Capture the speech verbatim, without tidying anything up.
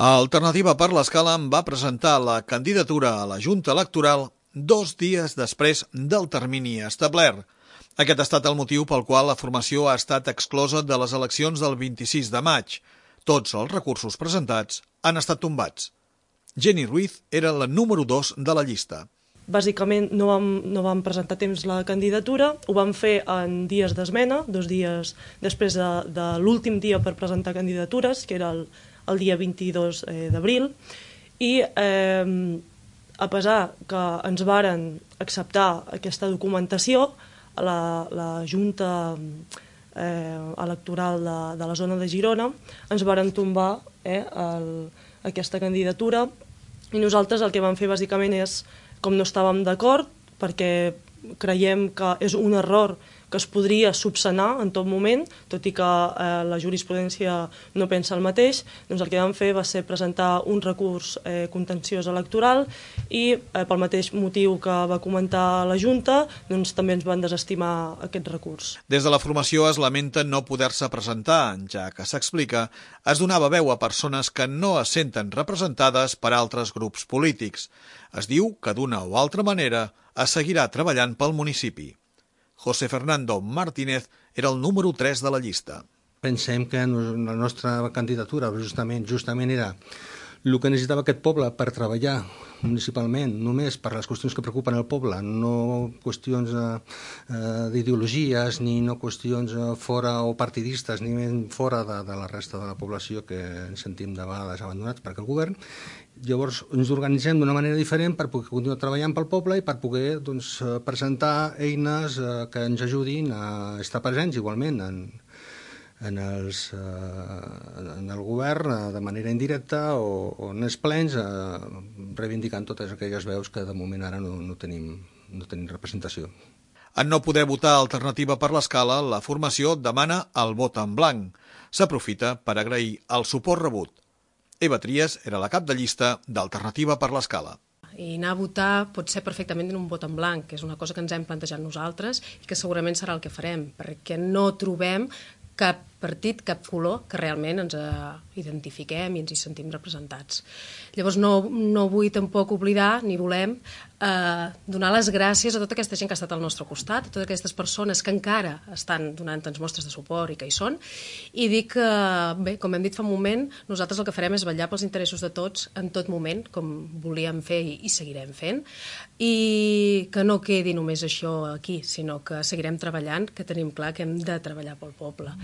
Alternativa per l'Escala va presentar la candidatura a la Junta Electoral dos dies després del termini establert. Aquest ha estat el motiu pel qual la formació ha estat exclosa de les eleccions del vint-i-sis de maig. Tots els recursos presentats han estat tombats. Jenny Ruiz era la número dos de la llista. Bàsicament no vam, no vam presentar a temps la candidatura, ho vam fer en dies d'esmena, dos dies després de, de l'últim dia per presentar candidatures, que era el, el dia vint-i-dos d'abril, i eh, a pesar que ens varen acceptar aquesta documentació, la, la Junta eh, Electoral de, de la zona de Girona ens varen tombar eh, el, aquesta candidatura, i nosaltres el que vam fer bàsicament és, com no estàvem d'acord, perquè creiem que és un error que es podria subsanar en tot moment, tot i que eh, la jurisprudència no pensa el mateix, doncs el que vam fer va ser presentar un recurs eh, contenciós electoral i eh, pel mateix motiu que va comentar la Junta, doncs també ens van desestimar aquest recurs. Des de la formació es lamenta no poder-se presentar, ja que s'explica, es donava veu a persones que no es senten representades per altres grups polítics. Es diu que d'una o altra manera es seguirà treballant pel municipi. José Fernando Martínez era el número tres de la llista. Pensem que la nostra candidatura justament justament era el que necessitava aquest poble per treballar municipalment, només per les qüestions que preocupen el poble, no qüestions eh, d'ideologies, ni no qüestions eh, fora o partidistes, ni fora de, de la resta de la població que ens sentim de vegades abandonats per aquest govern. Llavors ens organitzem d'una manera diferent per poder continuar treballant pel poble i per poder doncs, presentar eines eh, que ens ajudin a estar presents igualment en, en, els, eh, en el govern de manera indirecta o, o en els plens, eh, reivindicant totes aquelles veus que de moment ara no, no, tenim, no tenim representació. En no poder votar Alternativa per l'Escala, la formació demana el vot en blanc. S'aprofita per agrair el suport rebut. Eva Trias era la cap de llista d'Alternativa per l'Escala. I anar a votar pot ser perfectament en un vot en blanc, que és una cosa que ens hem plantejat nosaltres i que segurament serà el que farem, perquè no trobem cap partit, cap color que realment ens identifiquem i ens hi sentim representats. Llavors no, no vull tampoc oblidar, ni volem, eh, donar les gràcies a tota aquesta gent que ha estat al nostre costat, a totes aquestes persones que encara estan donant-nos mostres de suport i que hi són, i dir que, bé, com hem dit fa un moment, nosaltres el que farem és vetllar pels interessos de tots en tot moment, com volíem fer i, i seguirem fent, i que no quedi només això aquí, sinó que seguirem treballant, que tenim clar que hem de treballar pel poble.